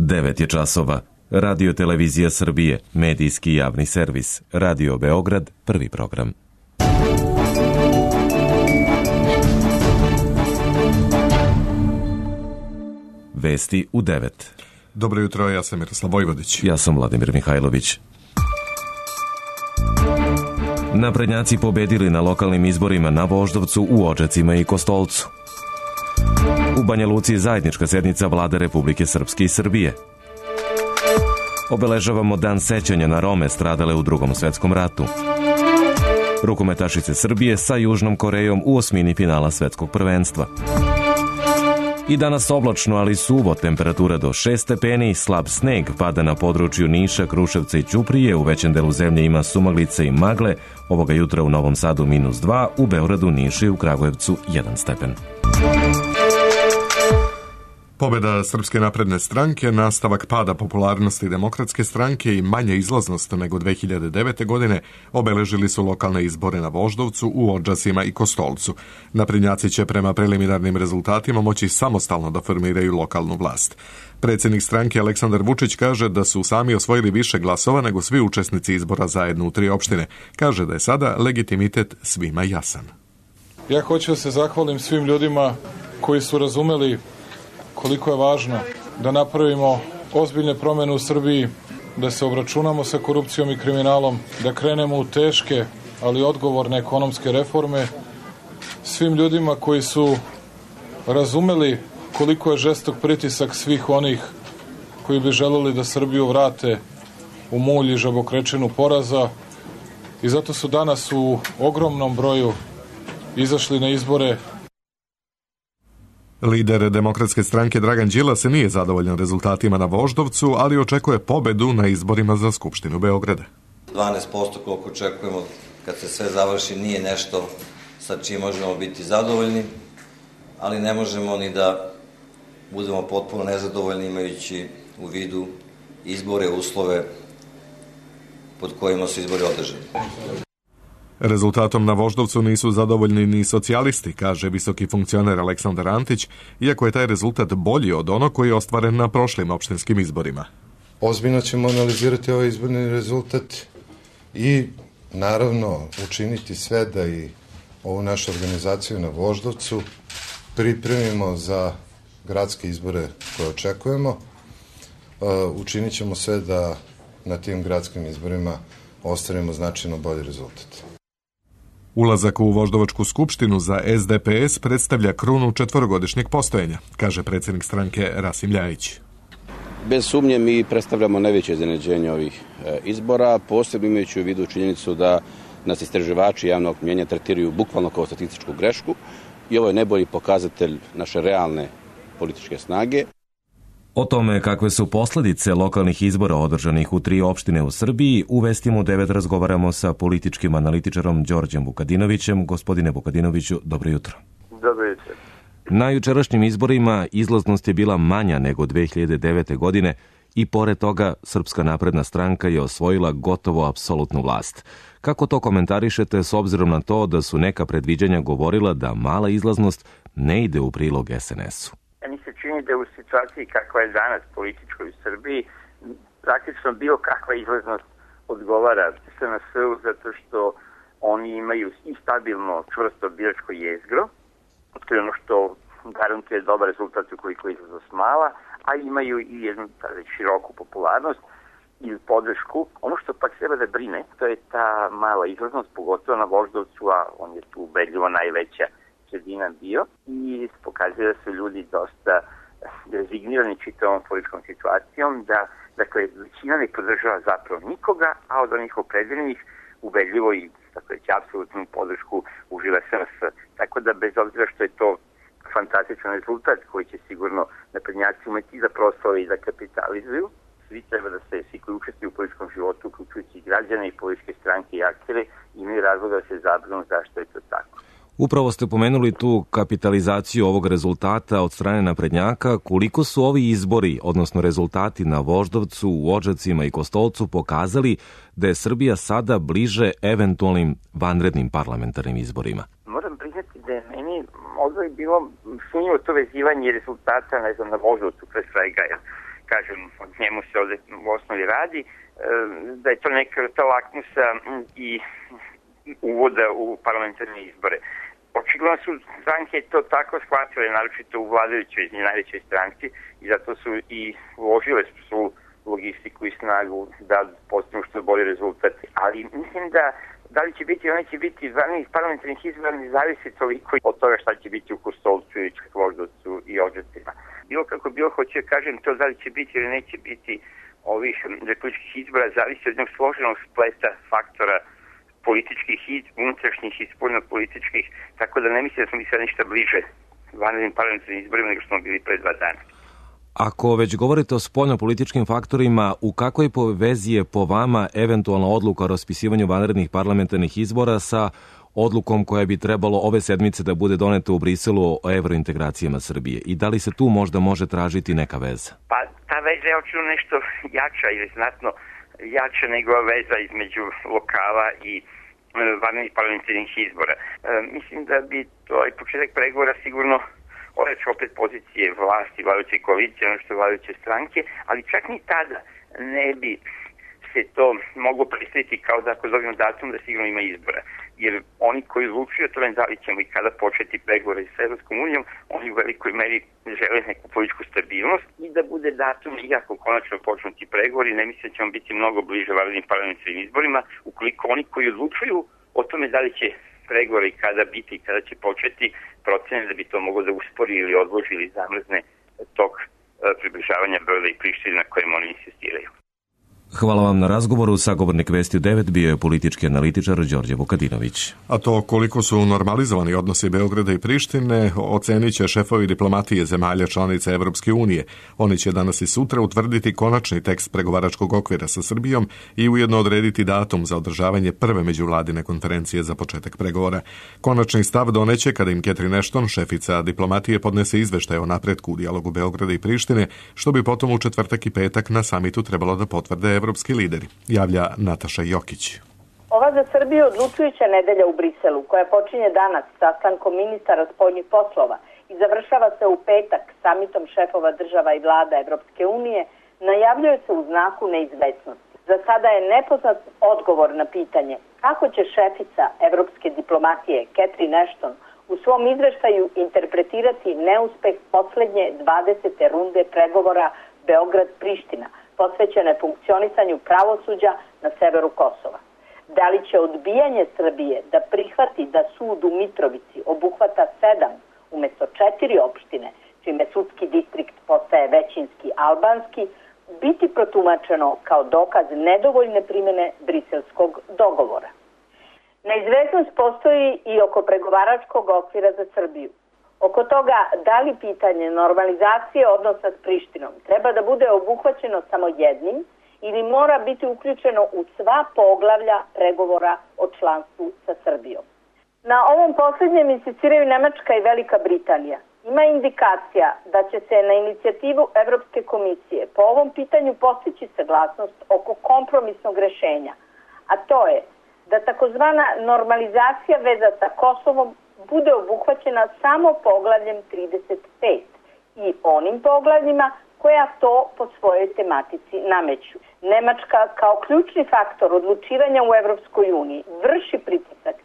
9 je časova. Radio Televizija Srbije, medijski javni servis. Radio Beograd, prvi program. Vesti u 9. Dobro jutro, ja sam Miroslav Vojvodić. Ja sam Vladimir Mihajlović. Naprednjaci pobedili na lokalnim izborima na Voždovcu, u Odžacima i Kostolcu. U Banja Luci je zajednička sednica Vlade Republike Srpske i Srbije. Obeležavamo dan sećanja na Rome stradale u Drugom svetskom ratu. Rukometašice Srbije sa Južnom Korejom u osmini finala svetskog prvenstva. I danas oblačno, ali suvo, temperatura do 6 stepeni, slab sneg pada na području Niša, Kruševca i Ćuprije, u većem delu zemlje ima sumaglice i magle, ovoga jutra u Novom Sadu -2, u Beogradu, Nišu i u Kragujevcu 1 stepen. Pobjeda Srpske napredne stranke, nastavak pada popularnosti Demokratske stranke i manja izlaznost nego 2009. godine obeležili su lokalne izbore na Voždovcu, u Odžacima i Kostolcu. Naprednjaci će prema preliminarnim rezultatima moći samostalno da formiraju lokalnu vlast. Predsjednik stranke Aleksandar Vučić kaže da su sami osvojili više glasova nego svi učesnici izbora zajedno u 3 opštine. Kaže da je sada legitimitet svima jasan. Ja hoću da se zahvalim svim ljudima koji su razumeli koliko je važno da napravimo ozbiljne promjene u Srbiji, da se obračunamo sa korupcijom i kriminalom, da krenemo u teške, ali odgovorne ekonomske reforme. Svim ljudima koji su razumeli koliko je žestok pritisak svih onih koji bi želeli da Srbiju vrate u mulj i žabokrečinu poraza, i zato su danas u ogromnom broju izašli na izbore. Lider Demokratske stranke Dragan Đilas nije zadovoljan rezultatima na Voždovcu, ali očekuje pobedu na izborima za Skupštinu Beograda. 12% koliko očekujemo kad se sve završi nije nešto sa čim možemo biti zadovoljni, ali ne možemo ni da budemo potpuno nezadovoljni imajući u vidu izbore, uslove pod kojima su izbori održani. Rezultatom na Voždovcu nisu zadovoljni ni socijalisti, kaže visoki funkcioner Aleksandar Antić, iako je taj rezultat bolji od onog koji je ostvaren na prošlim opštinskim izborima. Ozbiljno ćemo analizirati ovaj izborni rezultat i naravno učiniti sve da i ovu našu organizaciju na Voždovcu pripremimo za gradske izbore koje očekujemo. Učinit ćemo sve da na tim gradskim izborima ostvarimo značajno bolji rezultat. Ulazak u Voždovačku skupštinu za SDPS predstavlja krunu 4-godišnjeg postojanja, kaže predsjednik stranke Rasim Ljajić. Bez sumnje mi predstavljamo najveće iznenađenje ovih izbora, posebno imajući u vidu činjenicu da nas istraživači javnog mnjenja tretiraju bukvalno kao statističku grešku i ovo je najbolji pokazatelj naše realne političke snage. O tome kakve su posljedice lokalnih izbora održanih u 3 opštine u Srbiji, u Vestima u 9 razgovaramo sa političkim analitičarom Đorđem Vukadinovićem. Gospodine Vukadinoviću, dobro jutro. Dobro jutro. Na jučerašnjim izborima izlaznost je bila manja nego 2009. godine i pored toga Srpska napredna stranka je osvojila gotovo apsolutnu vlast. Kako to komentarišete s obzirom na to da su neka predviđanja govorila da mala izlaznost ne ide u prilog SNS-u? Meni se čini da u situaciji kakva je danas političkoj u Srbiji, praktično bilo kakva izlaznost odgovara SNS-u, zato što oni imaju i stabilno čvrsto biračko jezgro, to je ono što garantuje dobar rezultat ukoliko je izlaznost mala, a imaju i jednu široku popularnost i podršku. Ono što pak treba da brine, to je ta mala izlaznost, pogotovo na Voždovcu, a on je tu ubedljivo najveća sredina bio, i pokazuje da su ljudi dosta rezignirani čitavom političkom situacijom, da dakle, većina ne podržava zapravo nikoga, a od onih opredeljenih ubedljivo i tako reći apsolutnu podršku uživa SNS. Tako da bez obzira što je to fantastičan rezultat koji će sigurno naprednjaci umeti da proslave i da kapitalizuju, svi treba da se, svi koji učestvuju u političkom životu, uključujući i građane i političke stranke i aktere, imaju razloga da se zabrinu zašto je to tako. Upravo ste pomenuli tu kapitalizaciju ovog rezultata od strane naprednjaka. Koliko su ovi izbori, odnosno rezultati na Voždovcu, u Odžacima i Kostolcu pokazali da je Srbija sada bliže eventualnim vanrednim parlamentarnim izborima? Moram priznati da je meni odvoj bilo sumnjivo to vezivanje rezultata, ne znam, na Voždovcu pre svega. kažem, o njemu se ovde u osnovi radi, da je to neka vrsta lakmusa i uvoda u parlamentarne izbore. Očigledno su stranke to tako shvatile, naročito u vladajućoj najvećoj stranci, i zato su i uložile svu logistiku i snagu da postignu što bolji rezultat. Ali mislim da li će biti ili neće biti vanrednih parlamentarnih izbora ne zavisi toliko od toga šta će biti u Kostolcu i Voždovcu i Odžacima. Bilo kako bilo, hoću da kažem, to da li će biti ili neće biti ovih republičkih izbora zavisi od jednog složenog spleta faktora političkih i unutrašnjih i spoljno-političkih, tako da ne mislim da smo mi sad ništa bliže vanrednim parlamentarnim izborima nego što smo bili pre 2 dana. Ako već govorite o spoljno-političkim faktorima, u kakvoj vezi je po vama eventualna odluka o raspisivanju vanrednih parlamentarnih izbora sa odlukom koja bi trebalo ove sedmice da bude doneta u Briselu o evrointegracijama Srbije? I da li se tu možda može tražiti neka veza? Pa ta veza je očinu nešto jača ili znatno jača nego veza između lokala i vanrednih parlamentarnih izbora. Mislim da bi to i početak pregovora sigurno ojačao opet pozicije vlasti, vladajuće koalicije, ono što vladajuće stranke, ali čak ni tada ne bi se to moglo predstaviti kao da ako zovemo datum da sigurno ima izbora. Jer oni koji odlučuju o tome da li ćemo i kada početi pregovore sa Evropskom unijom, oni u velikoj meri žele neku političku stabilnost i da bude datum iako konačno počnu ti pregovori, ne mislim da ćemo biti mnogo bliže vanrednim parlamentarnim izborima, ukoliko oni koji odlučuju o tome da li će pregovori i kada biti i kada će početi, procene da bi to moglo da uspori ili odloži ili zamrzne tok približavanja Beograda i Prištine na kojem oni insistiraju. Hvala vam na razgovoru. Sagovornik Vesti u 9 bio je politički analitičar Đorđe Vukadinović. A to koliko su normalizovani odnosi Beograda i Prištine ocenit će šefovi diplomatije zemalja članica Evropske unije. Oni će danas i sutra utvrditi konačni tekst pregovaračkog okvira sa Srbijom i ujedno odrediti datum za održavanje prve međuvladine konferencije za početak pregovora. Konačni stav doneće kada im Catherine Ashton, šefica diplomatije, podnese izveštaj o napretku u dijalogu Beograda i Prištine, što bi potom u četvrtak i petak na samitu trebalo da potvrde evropski lideri, javlja Nataša Jokić. Ova za Srbiju odlučujuća nedelja u Briselu, koja počinje danas sastankom ministara spoljnih poslova i završava se u petak samitom šefova država i vlada Evropske unije, najavljuje se u znaku neizvesnosti. Za sada je nepoznat odgovor na pitanje kako će šefica evropske diplomatije Catherine Ashton u svom izveštaju interpretirati neuspeh poslednje 20. runde pregovora Beograd-Priština, posvećene funkcionisanju pravosuđa na severu Kosova. Da li će odbijanje Srbije da prihvati da sud u Mitrovici obuhvata 7 umesto 4 opštine, čime sudski distrikt postaje većinski albanski, biti protumačeno kao dokaz nedovoljne primene briselskog dogovora. Neizvesnost postoji i oko pregovaračkog okvira za Srbiju. Oko toga da li pitanje normalizacije odnosa s Prištinom treba da bude obuhvaćeno samo jednim ili mora biti uključeno u sva poglavlja pregovora o članstvu sa Srbijom. Na ovom posljednjem insistiraju Nemačka i Velika Britanija. Ima indikacija da će se na inicijativu Evropske komisije po ovom pitanju postići saglasnost oko kompromisnog rešenja, a to je da takozvana normalizacija veza sa Kosovom bude obuhvaćena samo poglavljem 35 i onim poglavljima koja to po svojoj tematici nameću. Nemačka kao ključni faktor odlučivanja u Evropskoj uniji vrši pritisak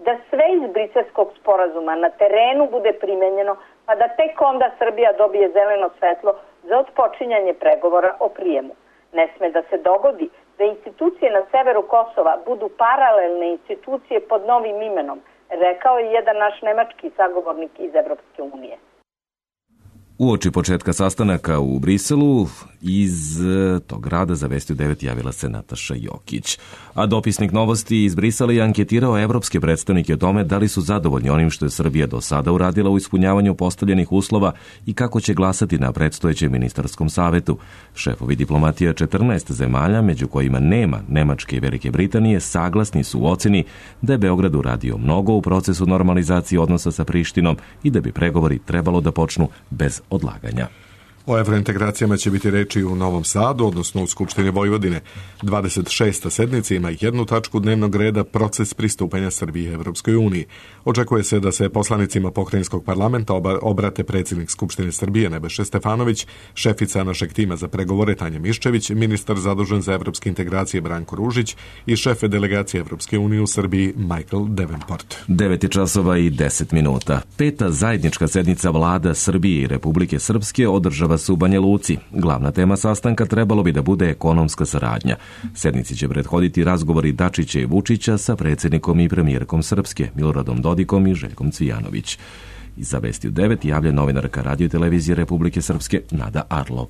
da sve iz briselskog sporazuma na terenu bude primenjeno, pa da tek onda Srbija dobije zeleno svetlo za otpočinjanje pregovora o prijemu. Ne sme da se dogodi da institucije na severu Kosova budu paralelne institucije pod novim imenom, rekao je jedan naš nemački sagovornik iz Evropske unije. Uoči početka sastanaka u Briselu iz tog grada za Vesti u 9 javila se Nataša Jokić. A dopisnik Novosti iz Brisela je anketirao evropske predstavnike o tome da li su zadovoljni onim što je Srbija do sada uradila u ispunjavanju postavljenih uslova i kako će glasati na predstojećem ministarskom savetu. Šefovi diplomatija 14 zemalja, među kojima nema Nemačke i Velike Britanije, saglasni su u oceni da je Beograd uradio mnogo u procesu normalizacije odnosa sa Prištinom i da bi pregovori trebalo da počnu bez odlaganja. O evrointegracijama će biti reči u Novom Sadu, odnosno u Skupštini Vojvodine. 26. sednica ima jednu tačku dnevnog reda, proces pristupanja Srbije Evropskoj uniji. Očekuje se da se poslanicima pokrajinskog parlamenta obrate predsjednik Skupštine Srbije Nebojša Stefanović, šefica našeg tima za pregovore Tanja Miščević, ministar zadužen za evropske integracije Branko Ružić i šef delegacije Evropske unije u Srbiji Michael Davenport. 9:10. Peta zajednička sednica vlada Srbije i Republike Srpske održava se u Banja Luci. Glavna tema sastanka trebalo bi da bude ekonomska saradnja. Sednici će prethoditi razgovori Dačića i Vučića sa predsjednikom i premijerkom Srpske, Miloradom Dodikom i Željkom Cvijanović. Iza vesti u 9 javlja novinarka Radio i televizije Republike Srpske Nada Arlov.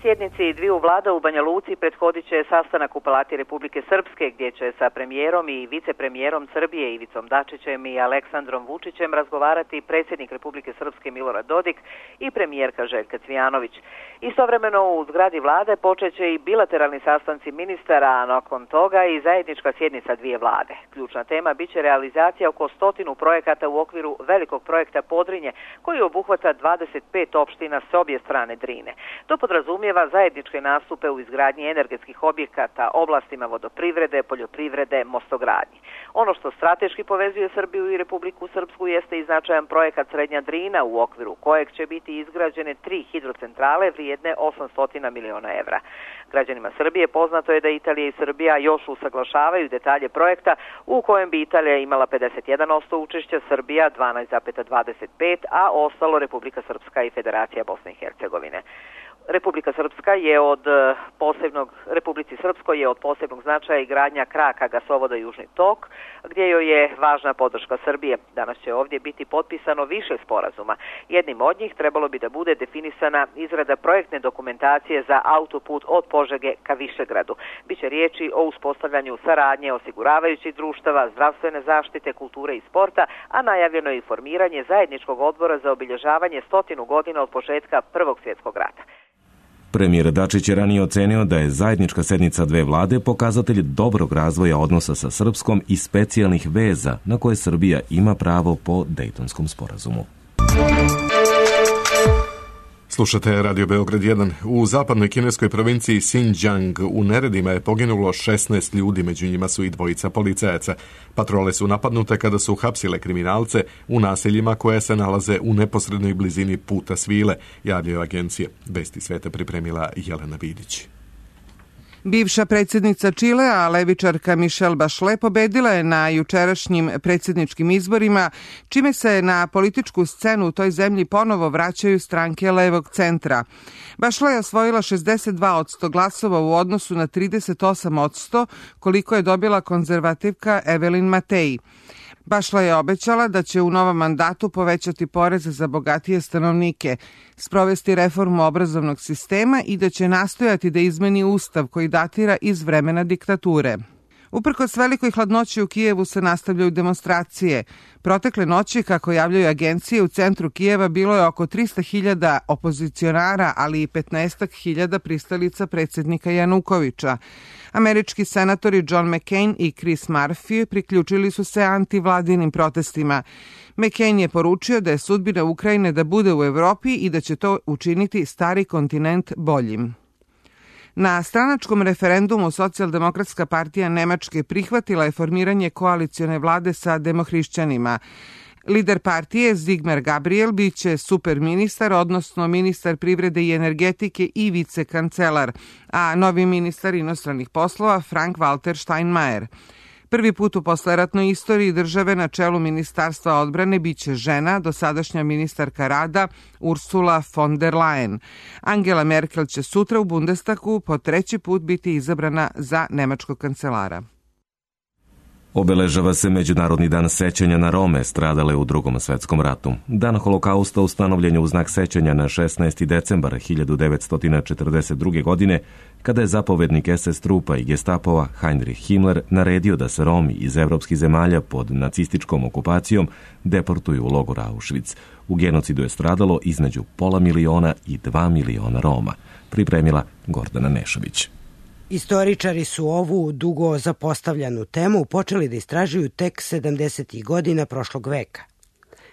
Sjednici dviju vlada u Banja Luci prethodit će sastanak u Palati Republike Srpske, gdje će sa premijerom i vicepremijerom Srbije Ivicom Dačićem i Aleksandrom Vučićem razgovarati predsjednik Republike Srpske Milorad Dodik i premijerka Željka Cvijanović. Istovremeno u zgradi vlade počeće i bilateralni sastanci ministara, a nakon toga i zajednička sjednica dvije vlade. Ključna tema biće realizacija oko 100 projekata u okviru velikog projekta Podrinje, koji obuhvata 25 opština s obje strane Drine. To podrazumijeva zajedničke nastupe u izgradnji energetskih objekata, oblastima vodoprivrede, poljoprivrede, mostogradnji. Ono što strateški povezuje Srbiju i Republiku Srpsku jeste i značajan projekat Srednja Drina, u okviru kojeg će biti izgrađene 3 hidrocentrale vrijedne 800 miliona evra. Građanima Srbije poznato je da Italija i Srbija još usaglašavaju detalje projekta, u kojem bi Italija imala 51% učešća, Srbija 12,25%, a ostalo Republika Srpska i Federacija Bosne i Hercegovine. Republici Srpskoj je od posebnog značaja i gradnja kraka gasovoda Južni tok, gdje joj je važna podrška Srbije. Danas će ovdje biti potpisano više sporazuma. Jednim od njih trebalo bi da bude definisana izrada projektne dokumentacije za autoput od Požege ka Višegradu. Biće riječi o uspostavljanju saradnje osiguravajućih društava, zdravstvene zaštite, kulture i sporta, a najavljeno je i formiranje zajedničkog odbora za obilježavanje 100 godina od početka Prvog svjetskog rata. Premijer Dačić je ranije ocenio da je zajednička sednica dve vlade pokazatelj dobrog razvoja odnosa sa Srpskom i specijalnih veza na koje Srbija ima pravo po Dejtonskom sporazumu. Slušate Radio Beograd 1. U zapadnoj kineskoj provinciji Xinjiang u neredima je poginulo 16 ljudi, među njima su i dvojica policajaca. Patrole su napadnute kada su uhapsile kriminalce u naseljima koje se nalaze u neposrednoj blizini puta svile, javljaju agencije. Vesti sveta pripremila Jelena Vidić. Bivša predsjednica Čilea, levičarka Michelle Bachelet, pobedila je na jučerašnjim predsjedničkim izborima, čime se na političku scenu u toj zemlji ponovo vraćaju stranke levog centra. Bachelet je osvojila 62% glasova u odnosu na 38% koliko je dobila konzervativka Evelyn Matei. Bachelet je obećala da će u novom mandatu povećati poreze za bogatije stanovnike, sprovesti reformu obrazovnog sistema i da će nastojati da izmeni ustav koji datira iz vremena diktature. Uprkos velikoj hladnoći u Kijevu se nastavljaju demonstracije. Protekle noći, kako javljaju agencije, u centru Kijeva bilo je oko 300.000 opozicionara, ali i 15.000 pristalica predsjednika Janukovića. Američki senatori John McCain i Chris Murphy priključili su se antivladinim protestima. McCain je poručio da je sudbina Ukrajine da bude u Evropi i da će to učiniti stari kontinent boljim. Na stranačkom referendumu Socijaldemokratska partija Nemačke prihvatila je formiranje koalicione vlade sa demohrišćanima. Lider partije Sigmar Gabriel biće superministar, odnosno ministar privrede i energetike i vicekancelar, a novi ministar inostranih poslova Frank-Walter Steinmeier. Prvi put u posleratnoj istoriji države na čelu Ministarstva odbrane biće žena, dosadašnja ministarka rada Ursula von der Leyen. Angela Merkel će sutra u Bundestagu po 3. put biti izabrana za nemačkog kancelara. Obeležava se Međunarodni dan sećanja na Rome stradale u Drugom svetskom ratu. Dan holokausta ustanovljen je u znak sećanja na 16. decembar 1942. godine, kada je zapovednik SS trupa i Gestapova Heinrich Himmler naredio da se Romi iz evropskih zemalja pod nacističkom okupacijom deportuju u logor Auschwitz. U genocidu je stradalo između 500.000 i 2 miliona Roma. Pripremila Gordana Nešović. Istoričari su ovu dugo zapostavljanu temu počeli da istražuju tek 70. godina prošlog veka.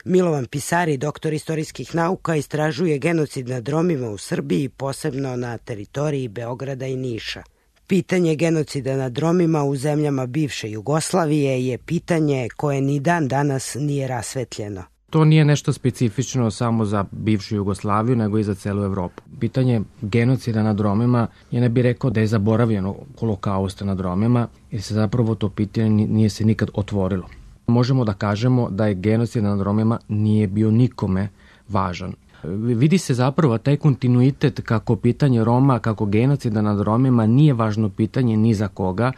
Milovan Pisari, doktor istorijskih nauka, istražuje genocid nad Romima u Srbiji, posebno na teritoriji Beograda i Niša. Pitanje genocida nad Romima u zemljama bivše Jugoslavije je pitanje koje ni dan danas nije rasvetljeno. To nije nešto specifično samo za bivšu Jugoslaviju, nego i za celu Evropu. Pitanje genocida nad Romima, ja ne bih rekao da je zaboravljeno holokausta nad Romima, jer se zapravo to pitanje nije se nikad otvorilo. Možemo da kažemo da je genocid nad Romima nije bio nikome važan. Vidi se zapravo taj kontinuitet kako pitanje Roma, kako genocida nad Romima nije važno pitanje ni za koga.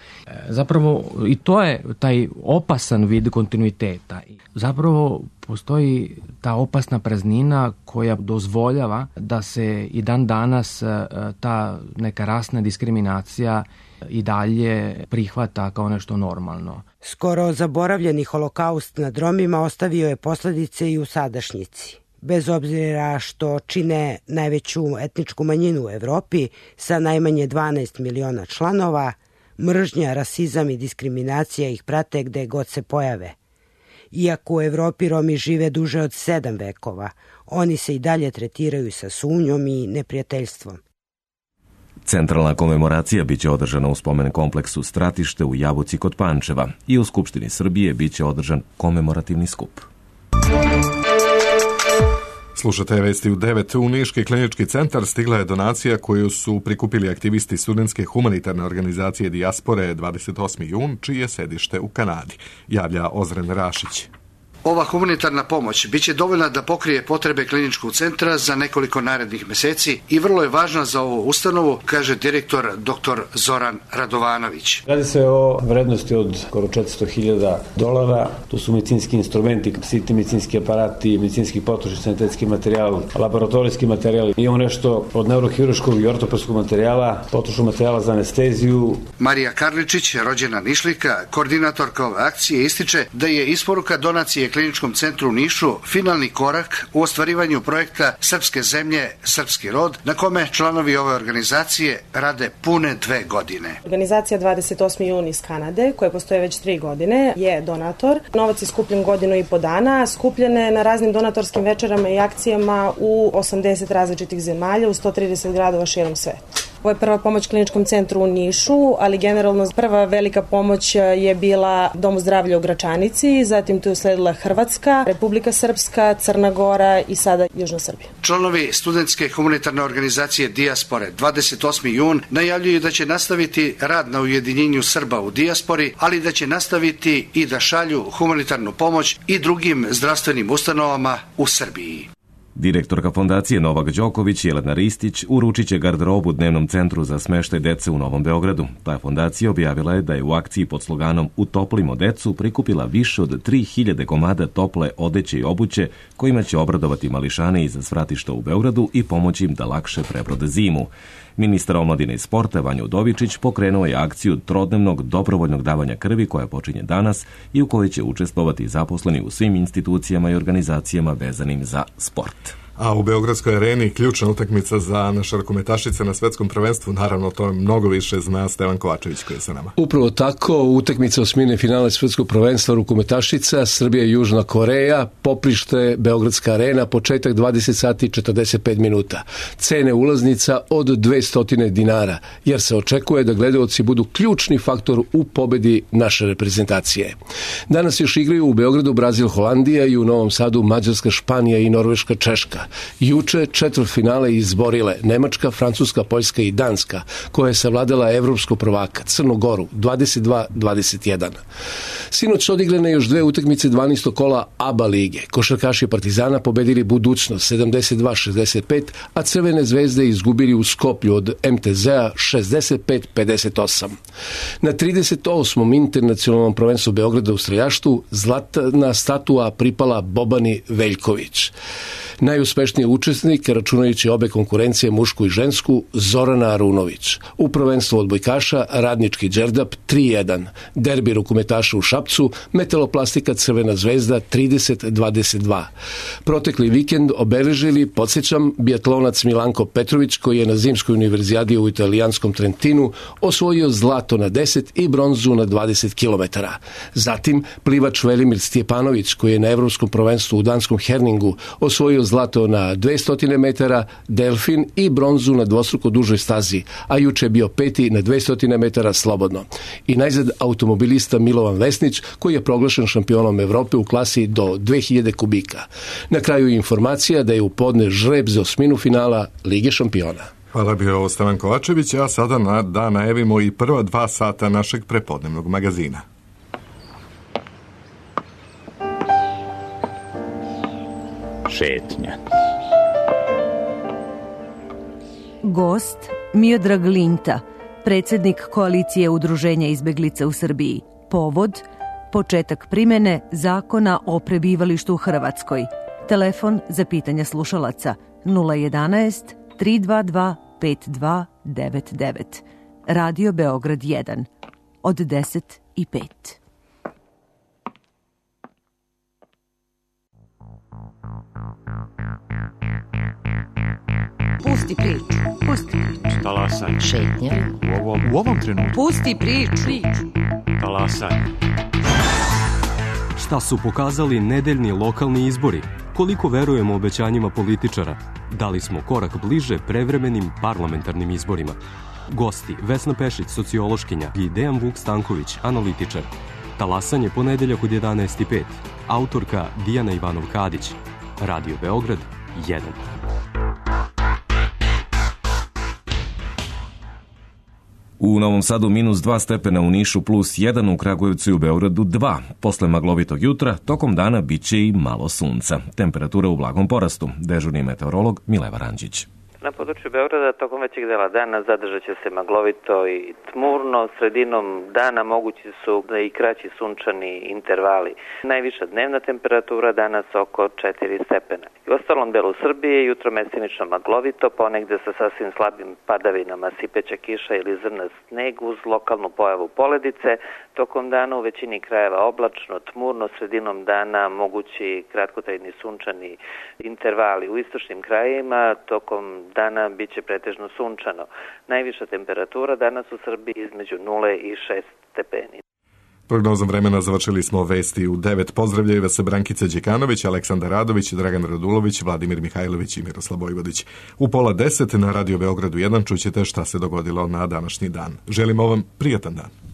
Zapravo i to je taj opasan vid kontinuiteta. Zapravo postoji ta opasna praznina koja dozvoljava da se i dan danas ta neka rasna diskriminacija i dalje prihvata kao nešto normalno. Skoro zaboravljeni holokaust nad Romima ostavio je posledice i u sadašnjici. Bez obzira što čine najveću etničku manjinu u Evropi sa najmanje 12 miliona članova, mržnja, rasizam i diskriminacija ih prate gde god se pojave. Iako u Evropi Romi žive duže od 7 vekova, oni se i dalje tretiraju sa sumnjom i neprijateljstvom. Centralna komemoracija biće održana u spomen kompleksu Stratište u Jabuci kod Pančeva i u Skupštini Srbije biće održan komemorativni skup. Slušate vesti u 9. U Niški klinički centar stigla je donacija koju su prikupili aktivisti studentske humanitarne organizacije Dijaspore 28. jun, čije je sedište u Kanadi, javlja Ozren Rašić. Ova humanitarna pomoć biće dovoljna da pokrije potrebe kliničkog centra za nekoliko narednih meseci i vrlo je važna za ovu ustanovu, kaže direktor dr. Zoran Radovanović. Radi se o vrednosti od skoro $400.000. To su medicinski instrumenti, sitni medicinski aparati, medicinski potrošni sanitetski materijal, laboratorijski materijal. Imamo nešto od neurohirurškog i ortopedskog materijala, potrošnog materijala za anesteziju. Marija Karličić, rođena Nišlika, koordinatorka ove akcije, ističe da je isporuka donacije kliničkom centru u Nišu finalni korak u ostvarivanju projekta Srpske zemlje, srpski rod, na kome članovi ove organizacije rade pune 2 godine. Organizacija 28. jun iz Kanade, koja postoje već 3 godine, je donator. Novac je skupljen 1.5 godina, skupljen je na raznim donatorskim večerama i akcijama u 80 različitih zemalja, u 130 gradova širom sveta. Ovo je prva pomoć kliničkom centru u Nišu, ali generalno prva velika pomoć je bila Domu zdravlja u Gračanici, zatim tu je usledila Hrvatska, Republika Srpska, Crna Gora i sada Južna Srbija. Članovi studentske humanitarne organizacije Dijaspore 28. jun najavljuju da će nastaviti rad na ujedinjenju Srba u dijaspori, ali da će nastaviti i da šalju humanitarnu pomoć i drugim zdravstvenim ustanovama u Srbiji. Direktorka fondacije Novak Đoković, Jelena Ristić, uručit će garderobu Dnevnom centru za smeštaj dece u Novom Beogradu. Ta fondacija objavila je da je u akciji pod sloganom Utoplimo decu prikupila više od 3000 komada tople odeće i obuće kojima će obradovati mališane iza svratišta u Beogradu i pomoći im da lakše prebrode zimu. Ministar omladine i sporta Vanja Udovičić pokrenuo je akciju trodnevnog dobrovoljnog davanja krvi koja počinje danas i u kojoj će učestvovati zaposleni u svim institucijama i organizacijama vezanim za sport. A u Beogradskoj areni ključna utakmica za naše rukometašice na svetskom prvenstvu, naravno to mnogo više zna Stevan Kovačević koji je sa nama. Upravo tako, utakmica osmine finale svetskog prvenstva rukometašica, Srbija i Južna Koreja, poprište Beogradska arena, početak 20 sati 45 minuta. Cene ulaznica od 200 dinara, jer se očekuje da gledaoci budu ključni faktor u pobedi naše reprezentacije. Danas još igraju u Beogradu Brazil, Holandija i u Novom Sadu Mađarska, Španija i Norveška, Češka. Juče četvrtfinale izborile Nemačka, Francuska, Poljska i Danska, koja je savladala evropskog prvaka Crnu Goru 22-21. Sinoć odigrane još 2 utakmice 12. kola ABA lige. Košarkaši Partizana pobedili Budućnost 72-65, a Crvene zvezde izgubili u Skoplju od MTZ-a 65-58. Na 38. internacionalnom prvenstvu Beograda u streljaštvu zlatna statua pripala Bobani Veljković. Najuspešnijem najuspešniji učesnik, računajući obe konkurencije, mušku i žensku, Zorana Arunović. U prvenstvu odbojkaša Radnički Đerdap 3-1, derbi rukometaša u Šapcu, Metaloplastika Crvena zvezda 30-22. Protekli vikend obeležili, podsjećam, biatlonac Milanko Petrović, koji je na zimskoj univerzijadi u italijanskom Trentinu osvojio zlato na 10 i bronzu na 20 km. Zatim plivač Velimir Stjepanović, koji je na evropskom prvenstvu u danskom Herningu osvojio zlato na 200 metara, delfin i bronzu na dvostruko dužoj stazi, a juče je bio peti na 200 metara slobodno. I najzad automobilista Milovan Vesnić, koji je proglašen šampionom Evrope u klasi do 2000 kubika. Na kraju informacija da je u podne žreb za osminu finala Lige šampiona. Hvala, bio ovo Stevan Kovačević, a sada da najavimo i prva 2 sata našeg prepodnevnog magazina. Šetnja. Gost Miodrag Linta, predsjednik koalicije udruženja izbeglica u Srbiji. Povod početak primjene zakona o prebivalištu u Hrvatskoj. Telefon za pitanja slušalaca 011 322 5299. Radio Beograd 1 od 10:05. Pusti priču. Pusti priču. Talasaj. Šetnja. U ovom trenutku. Pusti priču. Talasaj. Šta su pokazali nedeljni lokalni izbori? Koliko verujemo obećanjima političara? Da li smo korak bliže prevremenim parlamentarnim izborima? Gosti Vesna Pešić, sociološkinja, i Dejan Vuk Stanković, analitičar. Talasanje ponedeljak od 11:05. Autorka Dijana Ivanov-Kadić. Radio Beograd 1. U Novom Sadu -2 stepena, u Nišu +1, u Kragujevcu i u Beogradu 2. Posle maglovitog jutra, tokom dana biće i malo sunca. Temperatura u blagom porastu. Dežurni meteorolog Mileva Ranđić. Na području Beograda tokom većeg dela dana zadržat će se maglovito i tmurno. Sredinom dana mogući su i kraći sunčani intervali. Najviša dnevna temperatura danas oko 4 stepena. I u ostalom delu Srbije jutro mestimično maglovito, ponegde sa sasvim slabim padavinama, sipeća kiša ili zrna sneg uz lokalnu pojavu poledice. Tokom dana u većini krajeva oblačno, tmurno, sredinom dana mogući kratkotrajni sunčani intervali. U istočnim krajevima tokom dana bit će pretežno sunčano. Najviša temperatura danas u Srbiji između 0 i 6 stepeni. Prognozom vremena završili smo vesti u 9. Pozdravljaju vas Brankica Đekanović, Aleksandar Radović, Dragan Radulović, Vladimir Mihajlović i Miroslav Vojvodić. U 9:30 na Radio Beogradu 1 čućete šta se dogodilo na današnji dan. Želimo vam prijatan dan.